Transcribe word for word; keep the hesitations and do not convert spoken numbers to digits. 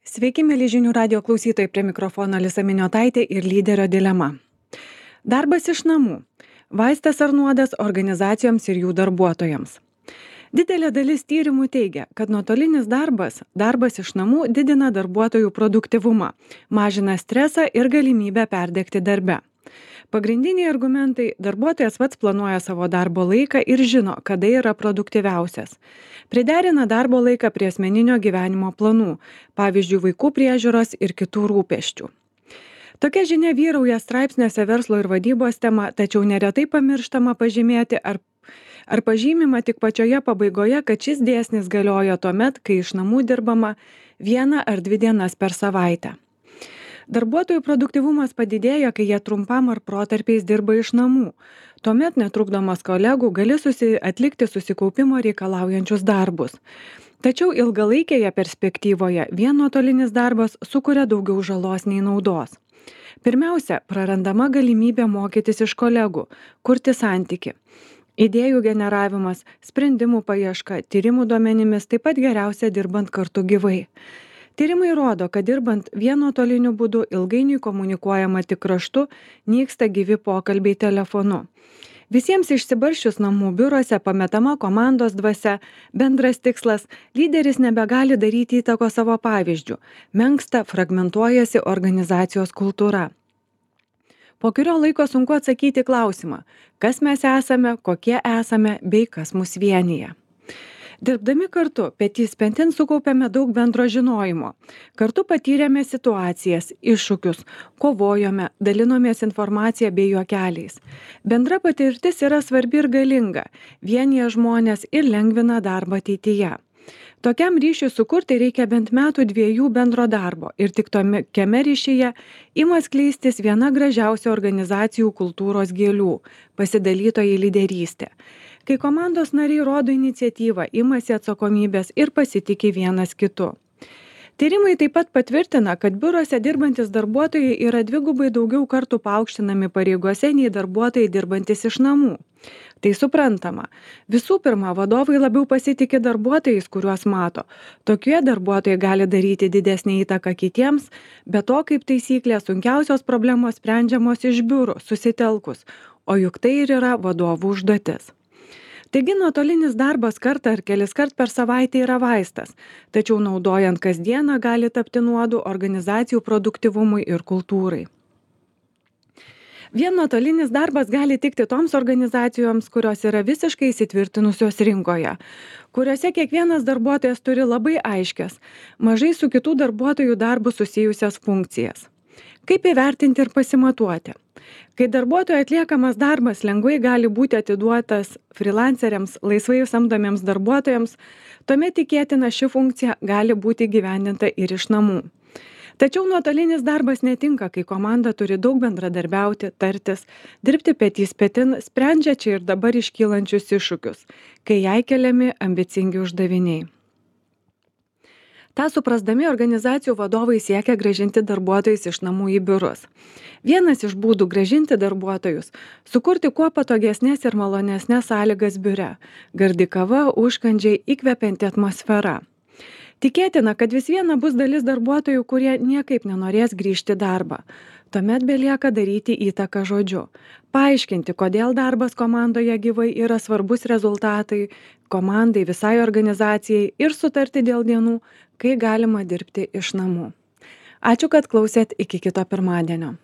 Sveiki, mėly žinių radio klausytojai, prie mikrofono Alisa Miniotaitė ir lyderio dilema. Darbas iš namų. Vaistas ar nuodas organizacijoms ir jų darbuotojams. Didelė dalis tyrimų teigia, kad nuotolinis darbas, darbas iš namų didina darbuotojų produktyvumą, mažina stresą ir galimybę perdegti darbe. Pagrindiniai argumentai – darbuotojas pats planuoja savo darbo laiką ir žino, kada yra produktyviausias. Priderina darbo laiką prie asmeninio gyvenimo planų, pavyzdžiui, vaikų priežiūros ir kitų rūpesčių. Tokia žinia vyrauja straipsniuose verslo ir vadybos tema, tačiau neretai pamirštama pažymėti ar, ar pažymima tik pačioje pabaigoje, kad šis dėsnis galioja tuomet, kai iš namų dirbama vieną ar dvi dienas per savaitę. Darbuotojų produktyvumas padidėja, kai jie trumpam ar protarpiais dirba iš namų. Tuomet netrukdomas kolegų gali susi, atlikti susikaupimo reikalaujančius darbus. Tačiau ilgalaikėje perspektyvoje vien nuotolinis darbas sukuria daugiau žalos nei naudos. Pirmiausia, prarandama galimybė mokytis iš kolegų, kurti santykį. Idėjų generavimas, sprendimų paieška, tyrimų duomenimis taip pat geriausia dirbant kartu gyvai. Tyrimai rodo, kad dirbant vien nuotoliniu būdu ilgainiui komunikuojama tik raštu, nyksta gyvi pokalbiai telefonu. Visiems išsibarsčius namų biuruose pametama komandos dvasia, bendras tikslas, lyderis nebegali daryti įtako savo pavyzdžių, menksta, fragmentuojasi organizacijos kultūra. Po kurio laiko sunku atsakyti klausimą, kas mes esame, kokie esame bei kas mus vienyje. Dirbdami kartu, petys pentin sukaupėme daug bendro žinojimo. Kartu patyrėme situacijas, iššūkius, kovojome, dalinomės informaciją bei juokeliais. Bendra patirtis yra svarbi ir galinga, vienija žmonės ir lengvina darbą ateityje. Tokiam ryšiui sukurti reikia bent metų dviejų bendro darbo ir tik tokiame ryšyje ima skleistis viena gražiausių organizacijų kultūros gėlių – pasidalytoji lyderystė. Kai komandos nariai rodo iniciatyvą, imasi atsakomybės ir pasitiki vienas kitu. Tyrimai taip pat patvirtina, kad biuruose dirbantis darbuotojai yra dvigubai daugiau kartų paaukštinami pareigose nei darbuotojai dirbantis iš namų. Tai suprantama. Visų pirma, vadovai labiau pasitiki darbuotojais, kuriuos mato. Tokie darbuotojai gali daryti didesnį įtaką kitiems, bet to kaip taisyklė sunkiausios problemos sprendžiamos iš biurų, susitelkus, o juk tai ir yra vadovų užduotis. Taigi nuotolinis darbas kartą ar kelis kart per savaitę yra vaistas, tačiau naudojant kasdieną gali tapti nuodu organizacijų produktyvumui ir kultūrai. Vien nuotolinis darbas gali tikti toms organizacijoms, kurios yra visiškai įsitvirtinusios rinkoje, kuriuose kiekvienas darbuotojas turi labai aiškias, mažai su kitų darbuotojų darbu susijusias funkcijas. Kaip įvertinti ir pasimatuoti? Kai darbuotojo atliekamas darbas lengvai gali būti atiduotas freelanceriams, laisvai samdomiems darbuotojams, tuomet tikėtina ši funkcija gali būti įgyvendinta ir iš namų. Tačiau nuotolinis darbas netinka, kai komanda turi daug bendradarbiauti, tartis, dirbti petys petin, sprendžia čia ir dabar iškylančius iššūkius, kai jai keliami ambicingi uždaviniai. Ta suprasdami organizacijų vadovai siekia grąžinti darbuotojus iš namų į biurus. Vienas iš būdų grąžinti darbuotojus – sukurti kuo patogesnės ir malonesnės sąlygas biure, gardi kava, užkandžiai, įkvepianti atmosfera. Tikėtina, kad vis viena bus dalis darbuotojų, kurie niekaip nenorės grįžti į darbą. Tuomet belieka daryti įtaką žodžiu. Paaiškinti, kodėl darbas komandoje gyvai yra svarbus rezultatai, komandai, visai organizacijai ir sutarti dėl dienų, kai galima dirbti iš namų. Ačiū, kad klausėt, iki kito pirmadienio.